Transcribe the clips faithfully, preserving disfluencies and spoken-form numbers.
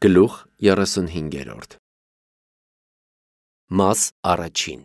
Գլուխ երեսունհինգերորդ Մաս առաջին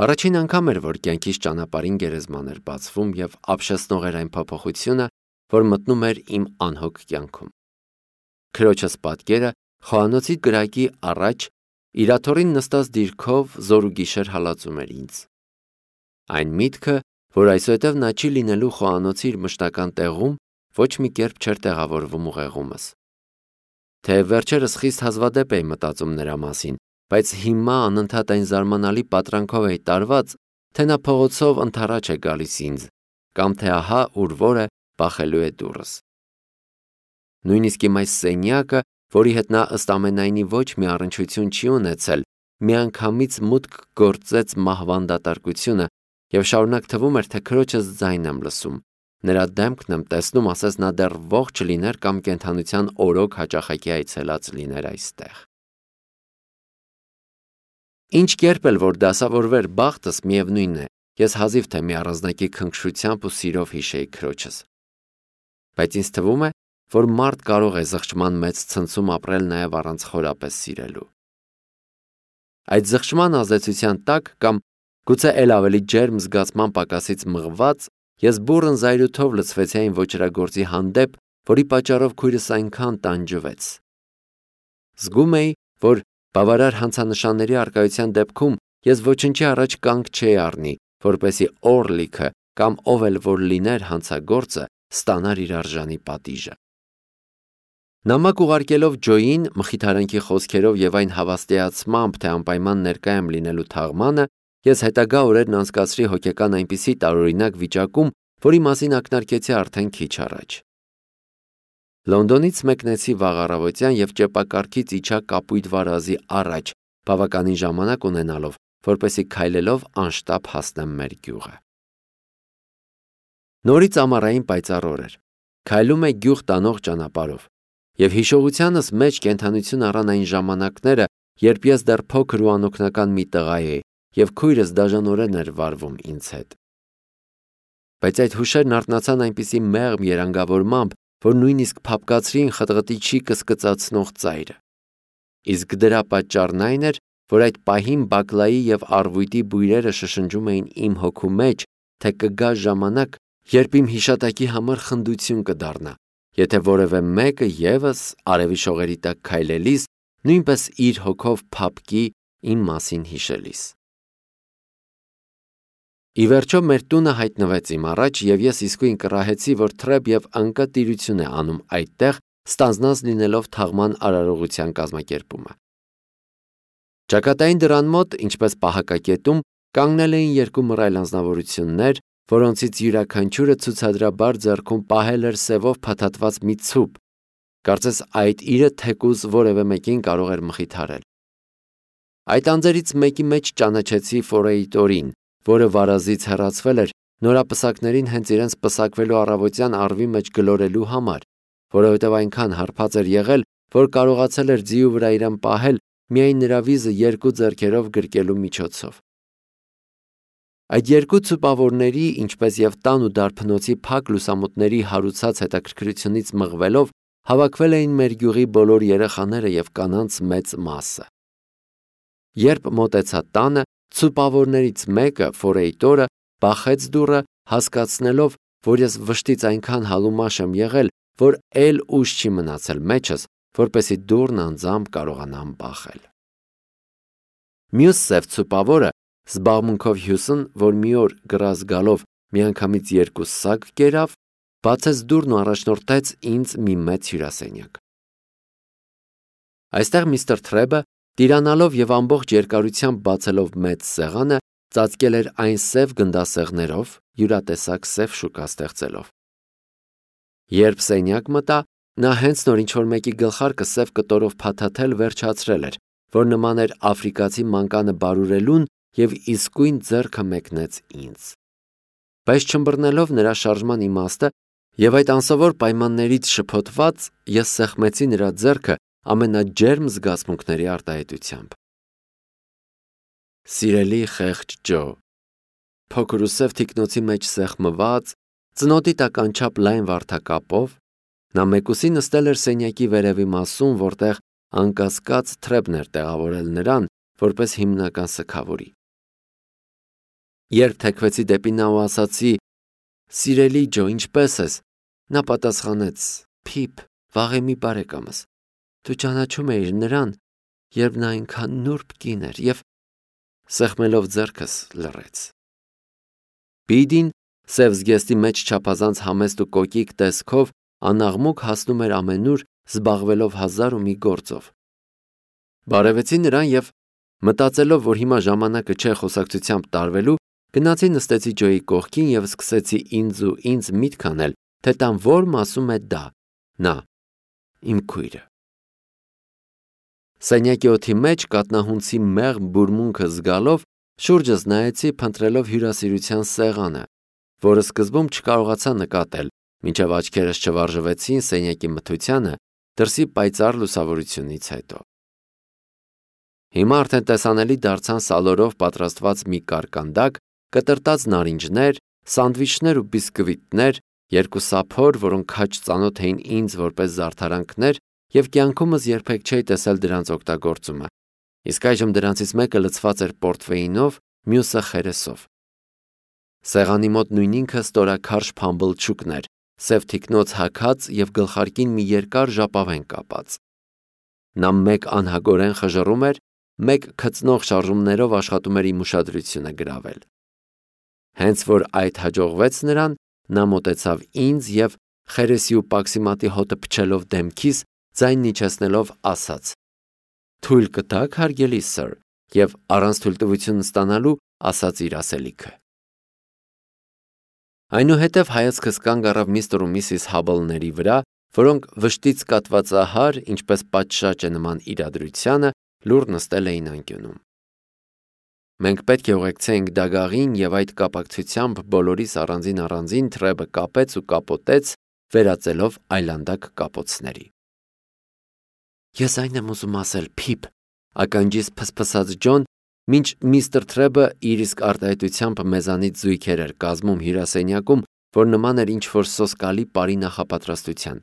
Առաջին անգամ էր, որ կյանքիս ճանապարհին գերեզման էր բացվում և ապշեցնող էր այն փոփոխությունը, որ մտնում էր իմ անհոգ կյանքում։ Քրոջս պատկերը խոհանոցի կրակի առաջ իր աթոռին նստած դիրքով զոր ու գիշեր հալածում էր ինձ։ Այն միտքը, որ այսուհետև նա չի լինելու խոհանոցի իր մշտական տեղում, ոչ մի կերպ չէր տեղավորվում ուղեղումս։ Թեև վերջերս խիստ հազվադեպ էի մտածում նրա մասին, բայց հիմա անընդհատ այն զարմանալի պատրանքով էի տարված, թե նա փողոցով ընդառաջ է գալիս ինձ, կամ թե ահա ուր որ է բախելու է դուռս։ Նույնիսկ իմ այս սենյակը, որի հետ նա ըստ ամենայնի ոչ մի առնչություն չի ունեցել, միանգամից մուտք գործեց մահվան դատարկությունը և շարունակ թվում էր, թե քրոջս ձայն եմ լսում, նրա դեմքն եմ տեսնում, ասես նա դեռ ողջ լիներ կամ կենդանության օրոք հաճախակի այցելած լիներ այստեղ։ Ինչ կերպ էլ որ դասավորվեր բախտս, միևնույն է, ես հազիվ թե մի առանձնակի քնքշությամբ ու սիրով հիշեի քրոջս։ Բայց ինձ թվում է, որ մարդ կարող է զղջման մեծ ցնցում ապրել նաև առանց խորապես սիրելու։ Այդ զղջման ազդեցության տակ կամ գուցե էլ ավելի ջերմ զգացման պակասից մղված, ես բուռն զայրույթով լցվեցի այն ոճրագործի հանդեպ, որի պատճառով քույրս այնքան տանջվեց։ Զգում էի, որ բավարար հանցանշանների առկայության դեպքում ես ոչնչի առաջ կանգ չէի առնի, որպեսզի Օրլիքը կամ ով էլ որ լիներ հանցագործը ստանար իր արժանի պատիժը։ Նամակ ուղարկելով Ջոյին մխիթարանքի խոսքերով և այն հավաստիացմամբ, թե անպայման ներկա եմ լինելու թաղմանը, ես հետագա օրերն անցկացրի հոգեկան այնպիսի տարօրինակ վիճակում, որի մասին ակնարկեցի արդեն քիչ առաջ։ Լոնդոնից մեկնեցի վաղ առավոտյան և ճեպակառքից իջա Կապույտ վարազի առաջ, բավականին ժամանակ ունենալով, որպեսզի քայլելով անշտապ հասնեմ մեր գյուղը։ Նորից ամառային պայծառ օր էր։ Քայլում էի գյուղ տանող ճանապարհով, և հիշողությանս մեջ կենդանություն առան այն ժամանակները, երբ ես դեռ փոքր ու անօգնական մի տղա էի, և քույրս դաժանորեն էր վարվում ինձ հետ։ Բայց այդ հուշերն արթնացան այնպիսի մեղմ երանգավորմամբ, որ նույնիսկ փափկացրին խտղտիչի կսկծացնող ծայրը։ Իսկ դրա պատճառն այն էր, որ այդ պահին բակլայի և առվույտի բույրերը շշնջում էին իմ հոգու մեջ, թե կգա ժամանակ, երբ իմ հիշատակի համար խնդություն կդառնա, եթե որևէ մեկը ևս արևի շողերի տակ քայլելիս նույնպես իր հոգով փափկի իմ մասին հիշելիս։ Ի վերջո մեր տունը հայտնվեց իմ առաջ, և ես իսկույն կռահեցի, որ թրև և անկա տիրություն է անում այդտեղ, ստանձնած լինելով թաղման արարողության կազմակերպումը։ Ճակատային դռան մոտ, ինչպես պահակակետում, կանգնել էին երկու մռայլ անձնավորություններ, որոնցից յուրաքանչյուրը ցուցադրաբար ձեռքում պահել էր սևով փաթաթված մի ցուպ, կարծես այդ իրը թեկուզ որևէ մեկին կարող էր մխիթարել։ Այդ անձերից մեկի մեջ ճանաչեցի Ֆորեյտորին, որը վարազից հեռացվել էր նորապսակներին հենց իրենց պսակվելու առավոտյան առվի մեջ գլորելու համար, որովհետև այնքան հարբած էր եղել, որ կարողացել էր ձիու վրա իրան պահել միայն նրա վիզը երկու ձեռքերով գրկելու միջոցով։ Այդ երկու ցուպավորների, ինչպես և տան ու դարբնոցի փակ լուսամուտների հարուցած հետաքրքրությունից մղվելով, հավաքվել էին մեր գյուղի բոլոր երեխաները և կանանց մեծ մասը։ Երբ մոտեցա տանը, ցուպավորներից մեկը, Ֆորեյտորը, բախեց դուռը, հասկացնելով, որ ես վշտից այնքան հալումաշ եմ եղել, որ էլ ուժ չի մնացել մեջս, որպեսզի դուռն անձամբ կարողանամ բախել։ Մյուս սև ցուպավորը, զբաղմունքով հյուսն, որ մի օր գրազ գալով միանգամից երկու սակ կերավ, բացեց դուռն ու առաջնորդեց ինձ մի մեծ հյուրասենյակ։ Այստեղ միստր Թրեբը, տիրանալով և ամբողջ երկարությամբ բացելով մեծ սեղանը, ծածկել էր այն սև գնդասեղներով, յուրատեսակ սև շուկա ստեղծելով։ Երբ սենյակ մտա, նա հենց նոր ինչ-որ մեկի գլխարկը սև կտորով փաթաթել վերջացրել էր, որ նման էր աֆրիկացի մանկանը բարուրելուն, և իսկույն ձեռքը մեկնեց ինձ։ Բայց չըմբռնելով նրա շարժման իմաստը և այդ անսովոր պայմաններից շփոթված, ես սեղմեցի նրա ձեռքը ամենաջերմ զգացմունքների արտահայտությամբ։ Սիրելի խեղճ Ջո, փոքր ու սև թիկնոցի մեջ սեղմված, ծնոտի տակ անչափ լայն վարդակապով, Նա մեկուսի նստել էր սենյակի վերևի մասում, որտեղ անկասկած Թրեբն էր տեղավորել նրան որպես հիմնական սգավորի։ Երբ թեքվեցի դեպի նա ու ասացի. «Սիրելի Ջո, ինչպե՞ս ես», նա պատասխանեց. «Փիփ, վաղեմի բարեկամս, դու ճանաչում էիր նրան, երբ նա այնքան նուրբ կին էր», և սեղմելով ձեռքս լռեց։ Բիդին սև զգեստի մեջ չափազանց համեստ ու կոկիկ տեսքով անաղմուկ հասնում էր ամենուր, զբաղվելով հազար ու մի գործով։ Բարևեցի նրան և մտածելով, որ հիմա ժամանակը չէ խոսակցությամբ տարվելու, գնացի նստեցի Ջոյի կողքին և սկսեցի ինձ ու ինձ միտք անել, թե տան որ մասում է դա, նա, իմ քույրը։ Սենյակի օդի մեջ կատնահունցի մեղմ բուրմունքը զգալով շուրջս նայեցի, փնտրելով հյուրասիրության սեղանը, որը սկզբում չկարողացա նկատել, մինչև աչքերս չվարժվեցին սենյակի մթությանը դրսի պայծառ լուսավորությունից հետո։ Հիմա արդեն տեսանելի դարձան սալորով պատրաստված մի կարկանդակ, կտրտած նարինջներ, սանդվիչներ ու բիսկվիտներ, երկու սափոր, որոնք քաջ ծանոթ էին ինձ որպես զարդարանքներ, և կյանքումս երբեք չէի տեսել դրանց օգտագործումը, իսկ այժմ դրանցից մեկը լցված էր պորտվեյնով, մյուսը խերեսով։ Սեղանի մոտ նույն ինքը ստորաքարշ փամբլչուկն էր, սև թիկնոց հագած և գլխարկին մի երկար ժապավեն կապած։ Նա մեկ անհագորեն խժռում էր, մեկ քծնող շարժումներով աշխատում էր իմ ուշադրությունը գրավել։ Հենց որ այդ հաջողվեց նրան, նա մոտեցավ ինձ և խերեսի ու պաքսիմատի հոտը փչելով դեմքիս, ձայնն իջեցնելով ասաց. «Թույլ կտաք, հարգելի սըր», և առանց թույլտվություն ստանալու ասաց իր ասելիքը։ Այնուհետև հայացքս կանգ առավ միստր ու միսիս Հաբլների վրա, որոնք վշտից կատվածահար, ինչպես պատշաճ է նման իրադրությանը, լուռ նստել էին անկյունում։ Մենք պետք է ուղեկցեինք դագաղին և այդ կապակցությամբ բոլորիս առանձին-առանձին Թրեբը կապեց ու կապոտեց, վերածելով այլանդակ կապոցների։ «Ես այն եմ ուզում ասել, Փիփ», ականջիս փսփսաց Ջոն, մինչ միստր Թրեբը իր իսկ արտահայտությամբ մեզանից զույգեր էր կազմում հյուրասենյակում, որ նման էր ինչ-որ սոսկալի պարի նախապատրաստության։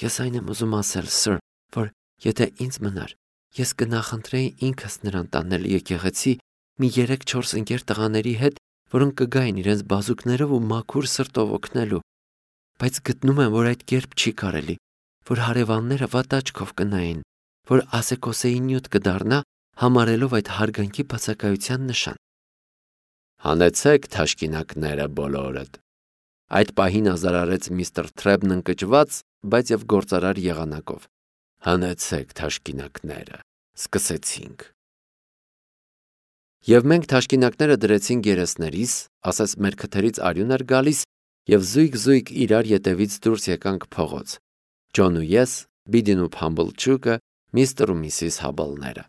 «Ես այն եմ ուզում ասել, սըր, որ եթե ինձ մնար, ես կնախընտրեի ինքս նրան տանել եկեղեցի մի երեք-չորս ընկեր տղաների հետ, որոնք կգային իրենց բազուկներով ու մաքուր սրտով օգնելու, բայց գտնում եմ, որ այդ կերպ չի կարելի, որ հարևանները վատ աչքով կնայեն, որ ասեկոսեի նյութ կդառնա, համարելով այդ հարգանքի բացակայության նշան»։ «Հանեցեք թաշկինակները բոլորդ», այդ պահին ազարարեց միստր Թրեբն ընկճված, բայց և գործարար եղանակով։ «Հանեցեք թաշկինակները, սկսեցինք»։ Եվ մենք թաշկինակները դրեցինք երեսներիս, ասես մեր քթերից արյուն էր գալիս, և զույգ-զույգ իրար ետևից դուրս եկանք փողոց, Ջոն ու ես, Բիդին ու Փամբլչուկը, միստր ու միսիս Հաբլները։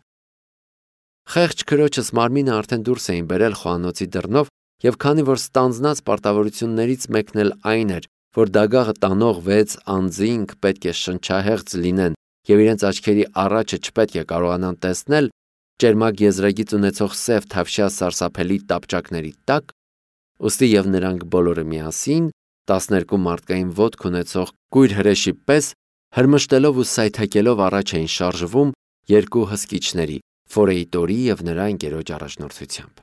Խեղճ քրոջս մարմինը արդեն դուրս էին բերել խոհանոցի դռնով, և քանի որ ստանձնած պարտավորություններից մեկն էլ այն էր, որ դագաղը տանող վեց անձինք պետք է շնչահեղձ լինեն և իրենց աչքերի առաջը չպետք է կարողանան տեսնել ճերմակ եզրագիծ ունեցող սև թավշյա սարսափելի տապճակների տակ, ուստի և նրանք բոլորը միասին, տասներկու մարդկային ոտք ունեցող կույր հրեշի պես, հրմշտելով ու սայթաքելով առաջ էին շարժվում երկու հսկիչների՝ Ֆորեյտորի և նրա ընկերոջ առաջնորդությամբ։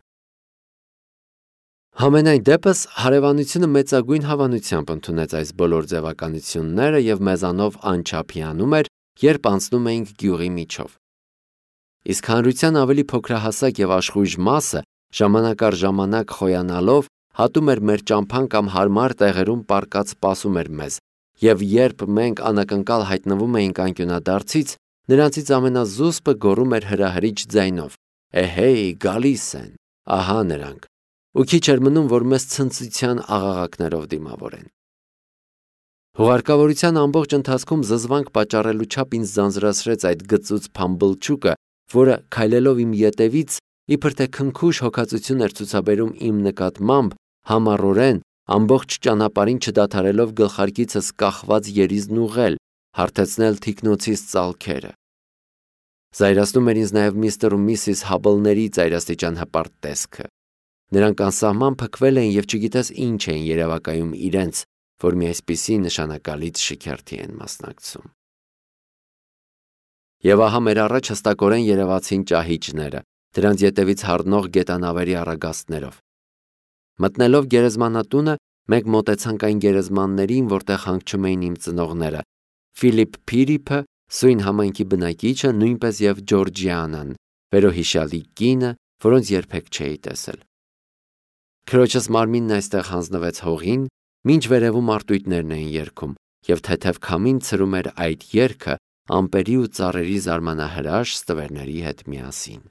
Համենայն դեպս հարևանությունը մեծագույն հավանությամբ ընդունեց այս բոլոր ձևականությունները և մեզանով անչափ հիանում էր, երբ անցնում էինք գյուղի միջով։ Իսկ հանրության ավելի փոքրահասակ և աշխույժ մասը ժամանակ առ ժամանակ խոյանալով հատում էր մեր ճամփան կամ հարմար տեղերում պառկած սպասում էր մեզ, և երբ մենք անակնկալ հայտնվում էինք անկյունադարձից, նրանցից ամենազուսպը գոռում էր հրահրիչ ձայնով. «Էհեյ, գալիս են, ահա նրանք», ու քիչ էր մնում, որ մեզ ցնծության աղաղակներով դիմավորեն։ Հուղարկավորության ամբողջ ընթացքում զզվանք պատճառելու չափ ինձ ձանձրացրեց այդ գծուծ Փամբլչուկը, որը քայլելով իմ ետևից, իբր թե քնքուշ հոգածություն էր ցուցաբերում իմ նկատմամբ, համառորեն, ամբողջ ճանապարհին չդադարելով գլխարկիցս կախված երիզն ուղղել, հարթեցնել թիկնոցիս ծալքերը։ Զայրացնում էր ինձ նաև միստր ու միսիս Հաբլների ծայրաստիճան հպարտ տեսքը։ Նրանք անսահման փքվել էին և չգիտես ինչ էին երևակայում իրենց, որ մի այսպիսի նշանակալից շքերթի են մասնակցում։ Եվ ահա մեր առաջ հստակորեն երևացին ճահիճները, դրանց ետևից հառնող գետանավերի առագաստներով։ Մտնելով գերեզմանատունը, մենք մոտեցանք այն գերեզմաններին, որտեղ հանգչում էին իմ ծնողները՝ Ֆիլիպ Փիրիփը, սույն համայնքի բնակիչը, նույնպես եւ Ջորջիանան, վերոհիշյալի կինը, որոնց երբեք չէի տեսել։ Քրոջս մարմինն այստեղ հանձնվեց հողին, մինչ վերևում արտույտներն էին երգում, եւ թեթև քամին ցրում էր այդ երգը ամպերի ու ծառերի զարմանահրաշ ստվերների հետ միասին։